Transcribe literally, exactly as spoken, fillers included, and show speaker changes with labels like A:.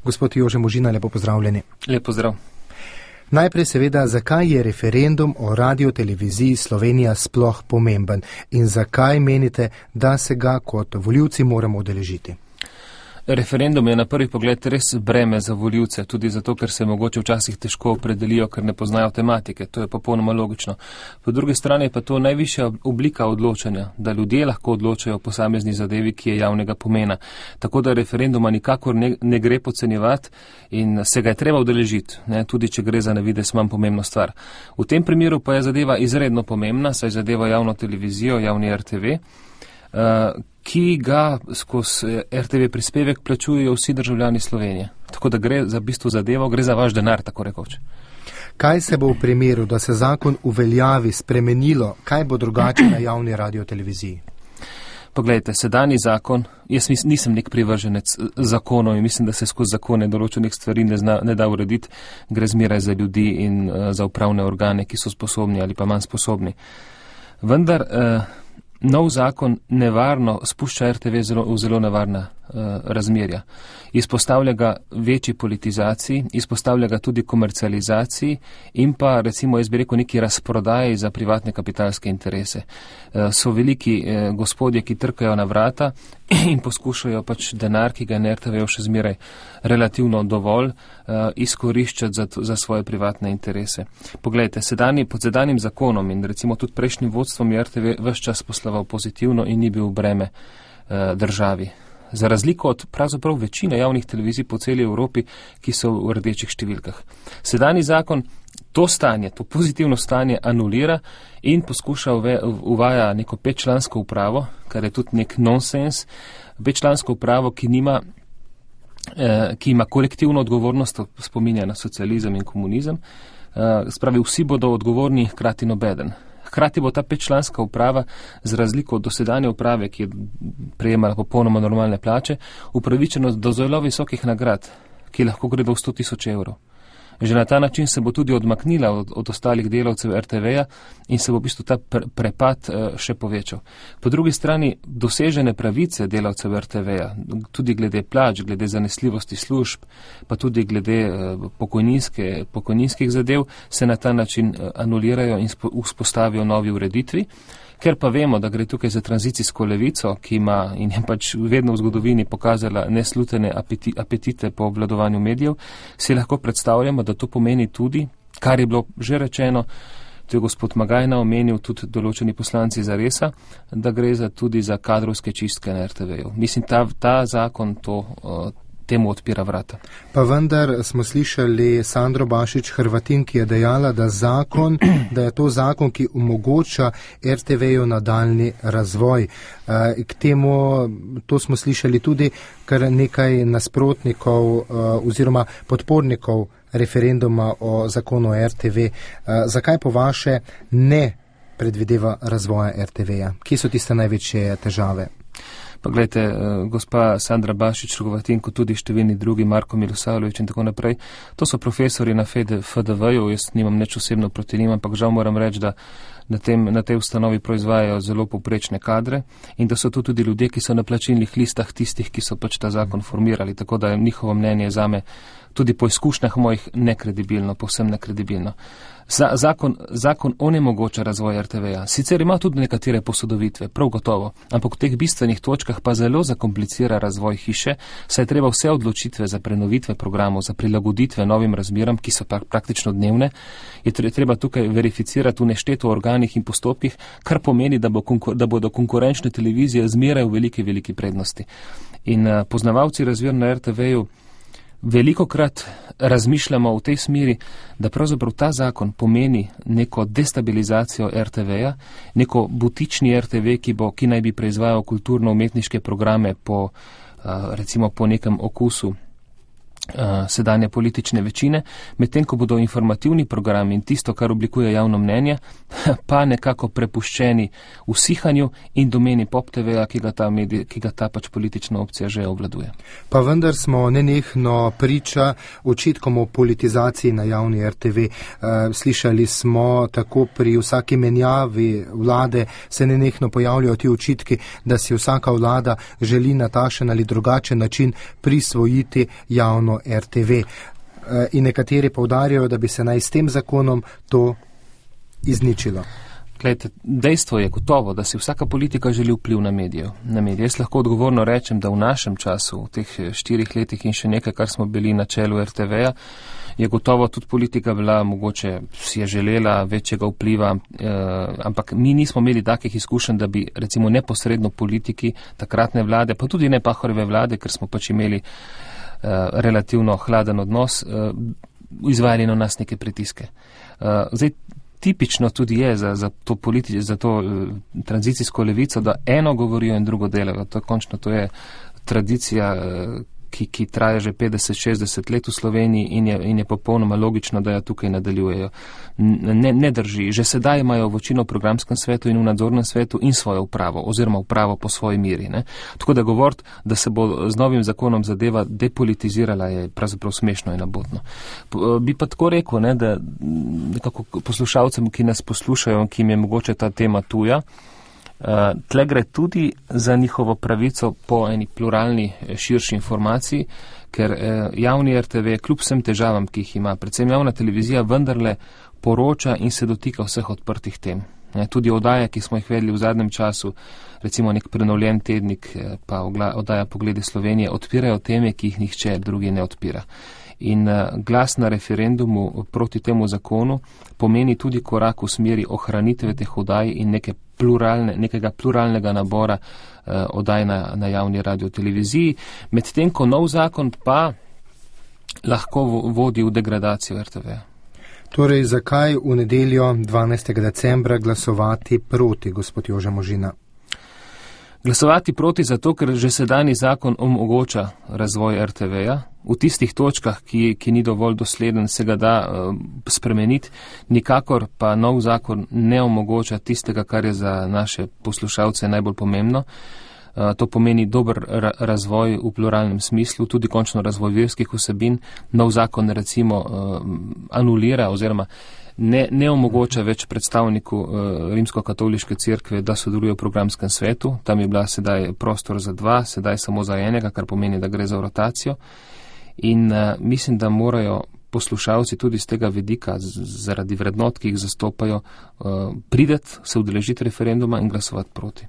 A: Gospod Jože Možina, lepo pozdravljeni.
B: Lep pozdrav.
A: Najprej seveda, zakaj je referendum o radioteleviziji Slovenija sploh pomemben in zakaj menite, da se ga kot volivci moramo udeležiti?
B: Referendum je na prvi pogled res breme za volivce, tudi zato, ker se mogoče včasih težko opredelijo, ker ne poznajo tematike. To je popolnoma logično. Po drugi strani pa to najvišja oblika odločanja, da ljudje lahko odločajo o posamezni zadevi, ki je javnega pomena. Tako da referenduma nikakor ne, ne gre podcenjevati in se ga je treba udeležiti, ne, tudi če gre za na vides manj pomembno stvar. V tem primeru pa je zadeva izredno pomembna, saj zadeva javno televizijo, javni R T V, uh, ki ga skozi R T V prispevek plačujejo vsi državljani Slovenije. Tako da gre za bistvo zadevo, gre za vaš denar, tako rekoč.
A: Kaj se bo v primeru, da se zakon uveljavi, spremenilo, kaj bo drugače na javni radioteleviziji?
B: Poglejte, sedanji zakon, jaz nisem nek privrženec zakonov in mislim, da se skozi zakone določenih stvari ne, zna, ne da urediti, gre zmeraj za ljudi in uh, za upravne organe, ki so sposobni ali pa manj sposobni. Vendar uh, nov zakon nevarno spušča R T V zelo, v zelo nevarna uh, razmerja. Izpostavlja ga večji politizaciji, izpostavlja ga tudi komercializaciji in pa recimo, jaz bi rekel, neki razprodaji za privatne kapitalske interese. Uh, so veliki uh, gospodje, ki trkajo na vrata in poskušajo pač denar, ki ga je na R T V še zmeraj relativno dovolj, uh, izkoriščati za, za svoje privatne interese. Poglejte, sedani, pod sedanjim zakonom in recimo tudi prejšnjim vodstvom je R T V ves čas poslaval pozitivno in ni bil breme uh, državi. Za razliko od pravzaprav večine javnih televizij po celi Evropi, ki so v rdečih številkah. Sedajni zakon to stanje, to pozitivno stanje anulira in poskuša uve, uvaja neko petčlansko upravo, kar je tudi nek nonsens, petčlansko upravo, ki nima, eh, ki ima kolektivno odgovornost, spominja na socializem in komunizem, eh, spravi vsi bodo odgovorni, hkrati nobeden. Hkrati bo ta petčlanska uprava, z razliko od dosedanje uprave, ki je prejemala popolnoma normalne plače, upravičena do zelo visokih nagrad, ki lahko gredo v sto tisoč evrov. Že na ta način se bo tudi odmaknila od, od ostalih delavcev R T V-ja in se bo v bistvu ta pre, prepad uh, še povečal. Po drugi strani dosežene pravice delavcev R T V-ja, tudi glede plač, glede zanesljivosti služb, pa tudi glede uh, pokojninske, pokojninskih zadev, se na ta način uh, anulirajo in spo, vzpostavijo novi ureditvi. Ker pa vemo, da gre tukaj za tranzicijsko levico, ki ima in je pač vedno v zgodovini pokazala neslutene apeti, apetite po obvladovanju medijev, si lahko predstavljamo, da to pomeni tudi, kar je bilo že rečeno, to je gospod Magajna omenil, tudi določeni poslanci Zaresa, da gre za, tudi za kadrovske čistke na R T V-ju. Mislim, ta, ta zakon to uh, temu odpira vrata.
A: Pa vendar smo slišali Sandro Bašić Hrvatin, ki je dejala, da zakon, da je to zakon, ki omogoča R T V-ju nadaljni razvoj. K temu, to smo slišali tudi kar nekaj nasprotnikov oziroma podpornikov referenduma o zakonu R T V. Zakaj po vaše ne predvideva razvoja R T V-ja? Kje so tiste največje težave?
B: Pa gledajte, gospa Sandra Bašić Hrvatin, kot tudi številni drugi, Marko Milosavljević in tako naprej, to so profesori na F D V-ju, jaz nimam nič osebno proti njim, ampak žal moram reči, da na, tem, na tej ustanovi proizvajajo zelo povprečne kadre in da so to tudi ljudje, ki so na plačilnih listah tistih, ki so pač ta zakon formirali, tako da je njihovo mnenje zame tudi po izkušnjah mojih nekredibilno, povsem nekredibilno. Za, zakon, zakon onemogoča razvoj R T V-ja. Sicer ima tudi nekatere posodovitve, prav gotovo, ampak v teh bistvenih točkah pa zelo zakomplicira razvoj hiše, saj treba vse odločitve za prenovitve programov, za prilagoditve novim razmeram, ki so pa praktično dnevne, je treba tukaj verificirati v nešteto organih in postopkih, kar pomeni, da, bo konkur, da bodo konkurenčne televizije zmeraj v veliki, veliki prednosti. In uh, poznavalci razmer na R T V-ju velikokrat razmišljamo v tej smeri, da pravzaprav ta zakon pomeni neko destabilizacijo R T V-ja, neko butični R T V, ki, bo, ki naj bi proizvajal kulturno-umetniške programe po, recimo po nekem okusu sedanje politične večine, medtem ko bodo informativni programi in tisto, kar oblikuje javno mnenje, pa nekako prepuščeni usihanju in domeni Pop T V-ja, ki ga ta, medij, ki ga ta pač politična opcija že obvladuje.
A: Pa vendar smo nenehno priča očitkom o politizaciji na javni R T V. Slišali smo tako pri vsaki menjavi vlade se nenehno pojavljajo ti očitki, da si vsaka vlada želi na takšen ali drugačen način prisvojiti javno R T V. In nekateri poudarjajo, da bi se naj s tem zakonom to izničilo.
B: Glejte, dejstvo je gotovo, da si vsaka politika želi vpliv na medijev. Na medije. Jaz lahko odgovorno rečem, da v našem času, v teh štirih letih in še nekaj, kar smo bili na čelu R T V-ja, je gotovo tudi politika bila, mogoče si je želela večjega vpliva, eh, ampak mi nismo imeli takih izkušenj, da bi recimo neposredno politiki takratne vlade, pa tudi ne Pahorjeve vlade, ker smo pač imeli eh, relativno hladen odnos, eh, izvajali na nas neke pritiske. Eh, zdaj, tipično tudi je za, za to, politi- za to uh, tranzicijsko levico, da eno govorijo in drugo delajo. To, končno to je tradicija, uh, ki, ki traja že petdeset šestdeset let v Sloveniji in je, in je popolnoma logično, da jo tukaj nadaljujejo. Ne, ne drži. Že sedaj imajo večino v programskem svetu in v nadzornem svetu in svojo upravo, oziroma upravo po svoji miri. Ne. Tako da govoriti, da se bo z novim zakonom zadeva depolitizirala, je pravzaprav smešno in abotno. Bi pa tako rekel, ne, da nekako poslušalcem, ki nas poslušajo, ki jim je mogoče ta tema tuja, Uh, tle gre tudi za njihovo pravico po eni pluralni, širši informaciji, ker uh, javni R T V, kljub vsem težavam, ki jih ima, predvsem javna televizija, vendarle poroča in se dotika vseh odprtih tem. Ne, tudi oddaje, ki smo jih vedeli v zadnjem času, recimo nek prenovljen tednik, pa oddaja Pogledi Slovenije, odpirajo teme, ki jih nihče drugi ne odpira. In uh, glas na referendumu proti temu zakonu pomeni tudi korak v smeri ohranitve teh oddaj in neke pluralne, nekega pluralnega nabora uh, oddaj na, na javni radioteleviziji, medtem ko nov zakon pa lahko vodi v degradacijo R T V.
A: Torej, zakaj v nedeljo dvanajstega decembra glasovati proti, gospod Jože Možina?
B: Glasovati proti zato, ker že sedajni zakon omogoča razvoj R T V-ja. V tistih točkah, ki, ki ni dovolj dosleden, se ga da uh, spremeniti, nikakor pa nov zakon ne omogoča tistega, kar je za naše poslušalce najbolj pomembno. Uh, to pomeni dober ra- razvoj v pluralnem smislu, tudi končno razvoj verskih vsebin. Nov zakon recimo uh, anulira oziroma Ne, ne omogoča več predstavniku uh, rimsko-katoliške cerkve, da sodeluje v programskem svetu. Tam je bila sedaj prostor za dva, sedaj samo za enega, kar pomeni, da gre za rotacijo. In uh, mislim, da morajo poslušalci tudi z tega vidika, z, zaradi vrednot, ki jih zastopajo, uh, prideti, se udeležiti referenduma in glasovati proti.